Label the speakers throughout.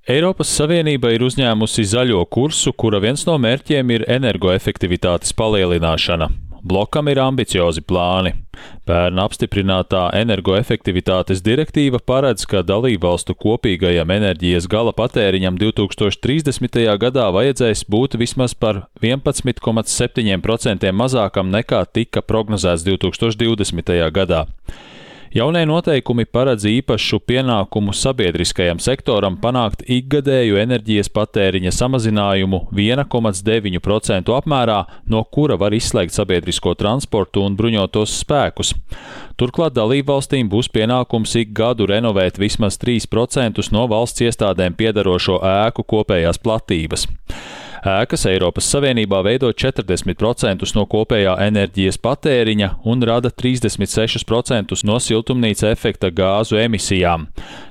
Speaker 1: Eiropas Savienība ir uzņēmusi zaļo kursu, kura viens no mērķiem ir energoefektivitātes palielināšana. Blokam ir ambiciozi plāni. Pērn apstiprinātā energoefektivitātes direktīva paredz, ka dalībvalstu kopīgajam enerģijas gala patēriņam 2030. gadā vajadzēs būt vismaz par 11,7% mazākam nekā tika prognozēts 2020. gadā. Jaunie noteikumi paredz īpašu pienākumu sabiedriskajam sektoram panākt ikgadēju enerģijas patēriņa samazinājumu 1,9% apmērā, no kura var izslēgt sabiedrisko transportu un bruņotos spēkus. Turklāt dalībvalstīm būs pienākums ik gadu renovēt vismaz 3% no valsts iestādēm piederošo ēku kopējās platības. Ēkas Eiropas Savienībā veido 40% no kopējā enerģijas patēriņa un rada 36% no siltumnīca efekta gāzu emisijām.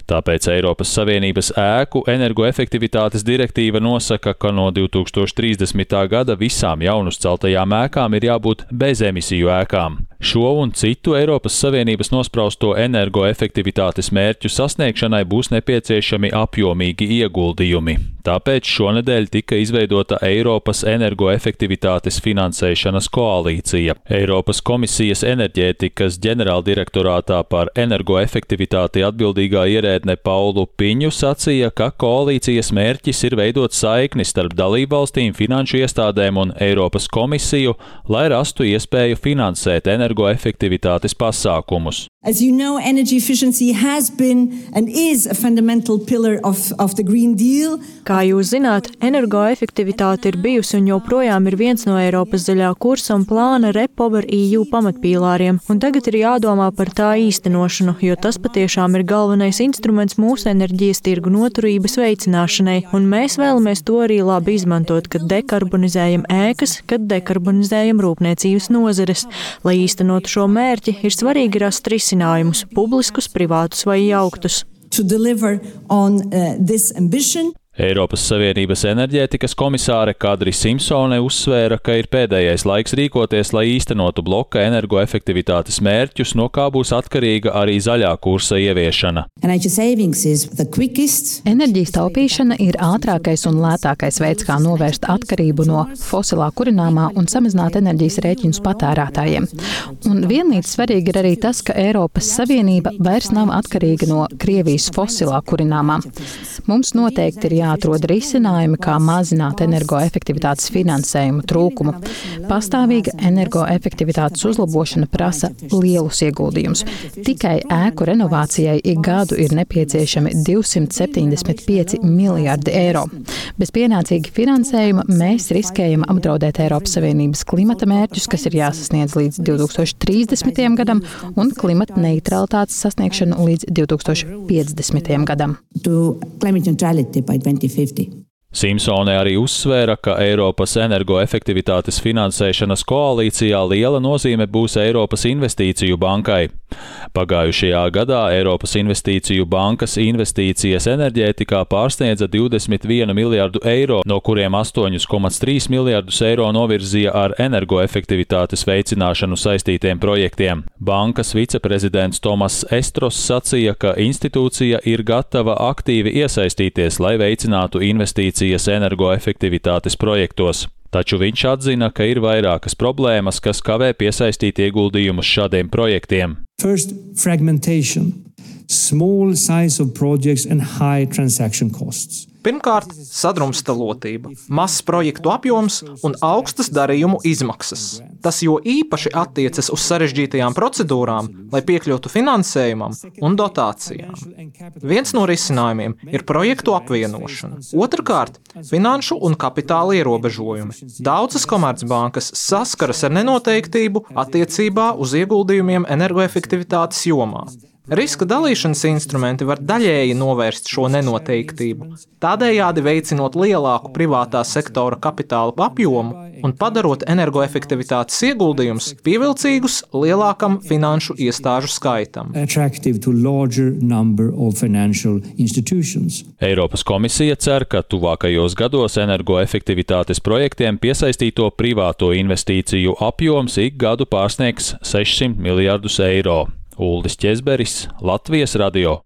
Speaker 1: Tāpēc Eiropas Savienības ēku energoefektivitātes direktīva nosaka, ka no 2030. gada visām jaunuzceltajām ēkām ir jābūt bezemisiju ēkām. Šo un citu Eiropas Savienības nosprausto energoefektivitātes mērķu sasniegšanai būs nepieciešami apjomīgi ieguldījumi. Tāpēc šonedēļ tika izveidota Eiropas energoefektivitātes finansēšanas koalīcija. Eiropas komisijas enerģētikas ģenerāldirektorātā par energoefektivitāti atbildīgā ierēdne Paulu Piņu sacīja, ka koalīcijas mērķis ir veidot saikni starp dalībvalstīm, finanšu iestādēm un Eiropas komisiju, lai rastu iespēju finansēt energoefektivitātes pasākumus.
Speaker 2: As you know, energy efficiency has been and is a fundamental pillar of the Green Deal.
Speaker 3: Kā jūs zināt, energoefektivitāte ir bijusi un joprojām ir viens no Eiropas zaļā kursa un plāna REPowerEU pamatpīlāriem, un tagad ir jādomā par tā īstenošanu, jo tas patiešām ir galvenais instruments mūsu enerģijas tirgu noturības veicināšanai, un mēs vēlamies to arī labi izmantot, kad dekarbonizējam ēkas, kad dekarbonizējam rūpniecības nozares. Lai īstenotu šo mērķi, ir svarīgi rast risinājumus, publiskus, privātus vai jauktus.
Speaker 1: Eiropas Savienības enerģētikas komisāre Kadri Simpsone uzsvēra, ka ir pēdējais laiks rīkoties, lai īstenotu bloka energoefektivitātes mērķus, no kā būs atkarīga arī zaļā kursa ieviešana.
Speaker 4: Enerģijas taupīšana ir ātrākais un lētākais veids, kā novērst atkarību no fosilā kurināmā un samazināt enerģijas rēķinus patērētājiem. Un vienlīdz svarīgi ir arī tas, ka Eiropas Savienība vairs nav atkarīga no Krievijas fosilā kurināmā. Mums noteikti ir jāatrod risinājumi, kā mazināt energoefektivitātes finansējumu trūkumu. Pastāvīga energoefektivitātes uzlabošana prasa lielus ieguldījumus. Tikai ēku renovācijai ik gadu ir nepieciešami 275 miljardi eiro. Bez pienācīga finansējuma mēs riskējam apdraudēt Eiropas Savienības klimata mērķus, kas ir jāsasniedz līdz 2030. gadam, un klimata neutralitātes sasniegšanu līdz 2050. gadam.
Speaker 1: Simpsone arī uzsvēra, ka Eiropas energoefektivitātes finansēšanas koalīcijā liela nozīme būs Eiropas investīciju bankai. Pagājušajā gadā Eiropas investīciju bankas investīcijas enerģētikā pārsniedza 21 miljardu eiro, no kuriem 8,3 miljardus eiro novirzīja ar energoefektivitātes veicināšanu saistītiem projektiem. Bankas viceprezidents Tomas Estros sacīja, ka institūcija ir gatava aktīvi iesaistīties, lai veicinātu investīcijas energoefektivitātes projektos. Taču viņš atzina, ka ir vairākas problēmas, kas kavē piesaistīt ieguldījumus šādiem projektiem.
Speaker 5: First, fragmentation, small size of projects and high transaction costs.
Speaker 6: Pirmkārt, sadrumstalotība, mazs projektu apjoms un augstas darījumu izmaksas. Tas jo īpaši attiecas uz sarežģītajām procedūrām, lai piekļūtu finansējumam un dotācijām. Viens no risinājumiem ir projektu apvienošana. Otrkārt, finanšu un kapitāla ierobežojumi. Daudzas komercbankas saskaras ar nenoteiktību attiecībā uz ieguldījumiem energoefektivitātes jomā. Riska dalīšanas instrumenti var daļēji novērst šo nenoteiktību, tādējādi veicinot lielāku privātā sektora kapitāla apjomu un padarot energoefektivitātes ieguldījumus pievilcīgus lielākam finanšu iestāžu skaitam.
Speaker 1: Eiropas komisija cer, ka tuvākajos gados energoefektivitātes projektiem piesaistīto privāto investīciju apjoms ik gadu pārsniegs 600 miljardus eiro. Uldis Ķezberis, Latvijas radio.